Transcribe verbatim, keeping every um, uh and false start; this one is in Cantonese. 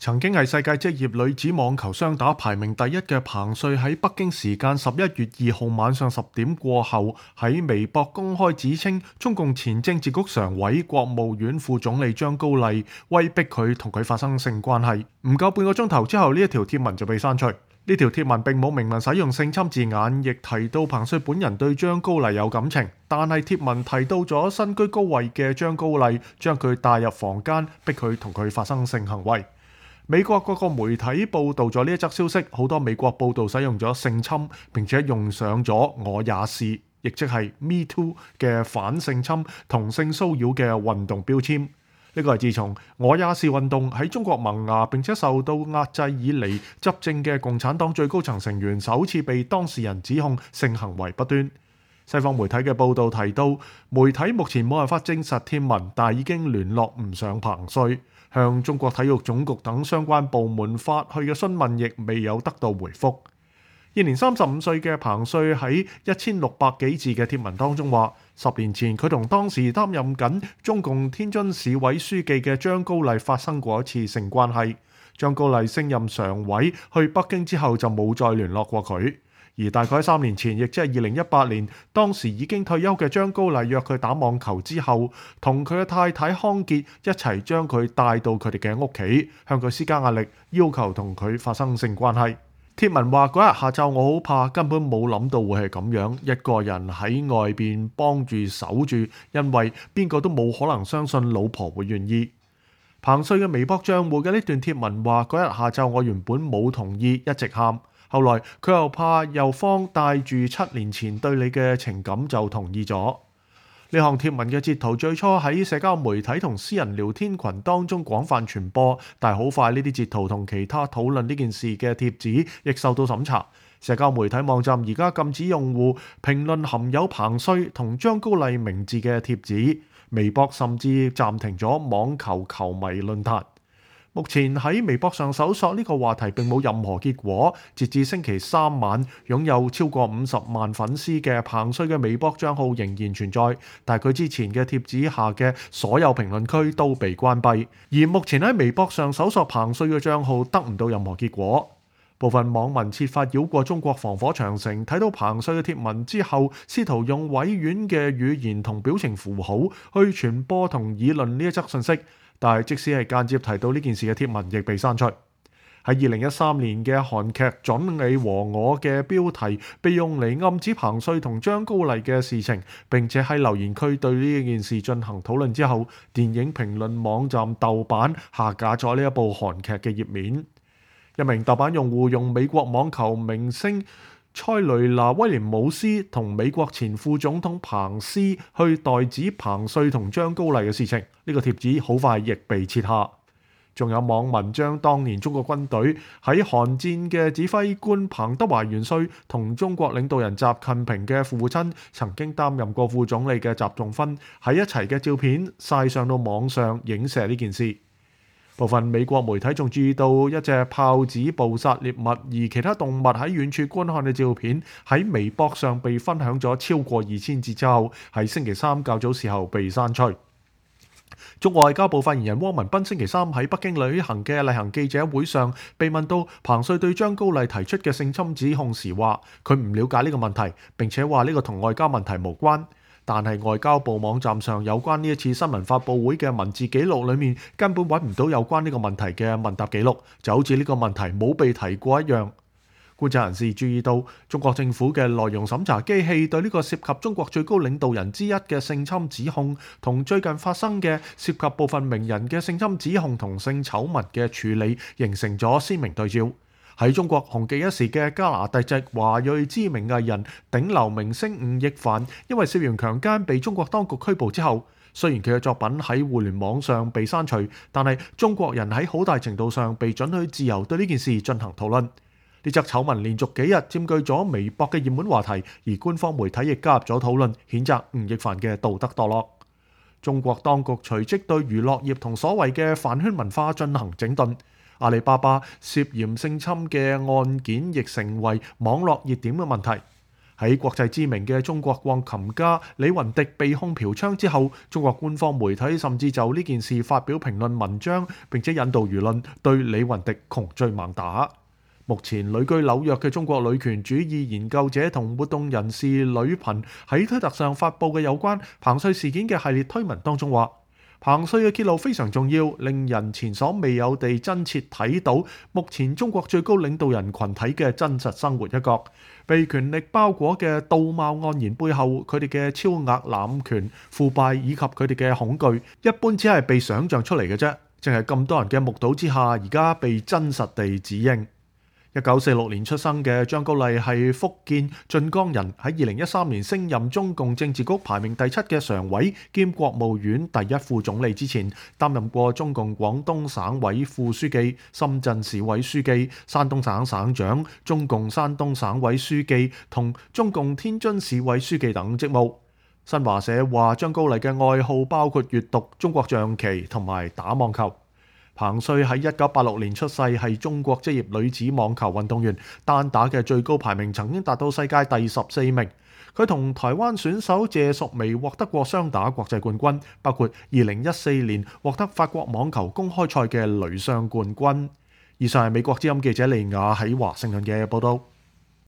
曾經係世界職業女子網球雙打排名第一嘅彭帥喺北京時間十一月二號晚上十點過後喺微博公開指稱，中共前政治局常委、國務院副總理張高麗威逼佢同佢發生性關係。唔夠半個鐘頭之後，呢一條貼文就被刪除。呢條貼文並冇明文使用性侵字眼，亦提到彭帥本人對張高麗有感情，但係貼文提到咗身居高位嘅張高麗將佢帶入房間，逼佢同佢發生性行為。美國各個媒體報導咗呢一則消息，好多美國報導使用咗性侵，並且用上咗我也是，亦即係 Me Too 嘅反性侵同性騷擾嘅運動標籤。呢個係自從我也是運動喺中國萌芽並且受到壓制以嚟執政嘅共產黨最高層成員首次被當事人指控性行為不端。西方媒體嘅報導提到，媒體目前冇辦法證實貼文，但係已經聯絡唔上彭帥，向中國體育總局等相關部門發去嘅詢問亦未有得到回覆。現年三十五歲嘅彭帥喺一千六百幾字嘅貼文當中話，十年前佢同當時擔任緊中共天津市委書記嘅張高麗發生過一次性關係。張高麗升任常委去北京之後就冇再聯絡過佢。而大概三年前，亦即係二零一八年，當時已經退休嘅張高麗約佢打網球之後，同佢嘅太太康傑一齊將佢帶到佢哋嘅屋企，向佢施加壓力，要求同佢發生性關係。貼文話嗰日下晝我好怕，根本冇諗到會係咁樣，一個人喺外邊幫住守住，因為邊個都冇可能相信老婆會願意。彭帥嘅微博賬戶嘅呢段貼文話嗰日下晝我原本冇同意，一直喊。後來佢又怕又慌，帶住七年前對你嘅情感就同意咗。呢項貼文嘅截圖最初喺社交媒體同私人聊天群當中廣泛傳播，但係好快呢啲截圖同其他討論呢件事嘅貼子亦受到審查。社交媒體網站而家禁止用戶評論含有彭帥同張高麗名字嘅貼子，微博甚至暫停咗網球球迷論壇。目前喺微博上搜索呢個話題並冇任何結果。截至星期三晚，擁有超過五十萬粉絲嘅彭帥嘅微博帳號仍然存在，但係佢之前嘅貼子下嘅所有評論區都被關閉。而目前喺微博上搜索彭帥嘅帳號得唔到任何結果。部分網民設法繞過中國防火長城，睇到彭帥嘅貼文之後，試圖用委婉嘅語言同表情符號去傳播同議論呢一則信息。但係即使係間接提到呢件事嘅貼文，亦被刪除。喺二零一三年嘅韓劇《準你和我》嘅標題被用嚟暗指彭帥同張高麗嘅事情，並且喺留言區對呢件事進行討論之後，電影評論網站豆瓣下架咗呢一部韓劇嘅頁面。一名豆瓣用戶用美國網球明星塞雷娜威廉姆斯同美國前副總統彭斯去代指彭帥同張高麗嘅事情，呢個貼子好快亦被撤下。仲有網民將當年中國軍隊喺韓戰嘅指揮官彭德懷元帥同中國領導人習近平嘅父親曾經擔任過副總理嘅習仲勳喺一齊嘅照片曬上到網上影射呢件事。部分美國媒體仲注意到一隻豹子捕殺獵物，而其他動物喺遠處觀看嘅照片喺微博上被分享咗超過二千次之後，喺星期三較早時候被刪除。中國外交部發言人汪文斌星期三喺北京舉行嘅例行記者會上，被問到彭帥對張高麗提出嘅性侵指控時，話佢唔了解呢個問題，並且話呢個同外交問題無關。但係外交部網站上有關呢一次新聞發佈會嘅文字記錄裏面，根本揾唔到有關呢個問題嘅問答記錄，就好似呢個問題冇被提過一樣。觀察人士注意到，中國政府嘅內容審查機器對呢個涉及中國最高領導人之一嘅性侵指控，同最近發生嘅涉及部分名人嘅性侵指控同性醜聞嘅處理，形成咗鮮明對照。喺中國紅極一時嘅加拿大籍華裔知名藝人頂流明星吳亦凡，因為涉嫌強姦被中國當局拘捕之後，雖然佢嘅作品喺互聯網上被刪除，但係中國人喺好大程度上被准許自由對呢件事進行討論。呢則醜聞連續幾日佔據咗微博嘅熱門話題，而官方媒體亦加入咗討論，譴責吳亦凡嘅道德墮落。中國當局隨即對娛樂業同所謂嘅飯圈文化進行整頓。阿里巴巴涉嫌性侵嘅案件亦成為網絡熱點嘅問題。喺國際知名嘅中國鋼琴家李雲迪被控嫖娼之後，中國官方媒體甚至就呢件事發表評論文章，並且引導輿論對李雲迪窮追猛打。目前旅居紐約嘅中國女權主義研究者同活動人士呂頻喺推特上發布嘅有關彭帥事件嘅系列推文當中話，彭帥嘅揭露非常重要，令人前所未有地真切睇到目前中國最高領導人群體嘅真實生活一角。被權力包裹嘅道貌岸然背後，佢哋嘅超額濫權、腐敗以及佢哋嘅恐懼，一般只係被想像出嚟嘅啫。正係咁多人嘅目睹之下，而家被真實地指認。一九四六年出生嘅張高麗係福建晉江人，喺二零一三年升任中共政治局排名第七嘅常委兼國務院第一副總理之前，擔任過中共廣東省委副書記、深圳市委書記、山東省省長、中共山東省委書記同中共天津市委書記等職務。新華社話張高麗嘅愛好包括閱讀、中國象棋同埋打網球。彭帥喺一九八六年出世，係中國職業女子網球運動員，單打嘅最高排名曾經達到世界第十四名。佢同台灣選手謝淑薇獲得過雙打國際冠軍，包括二零一四年獲得法國網球公開賽嘅女雙冠軍。以上係美國之音記者利亞喺華盛頓嘅報道。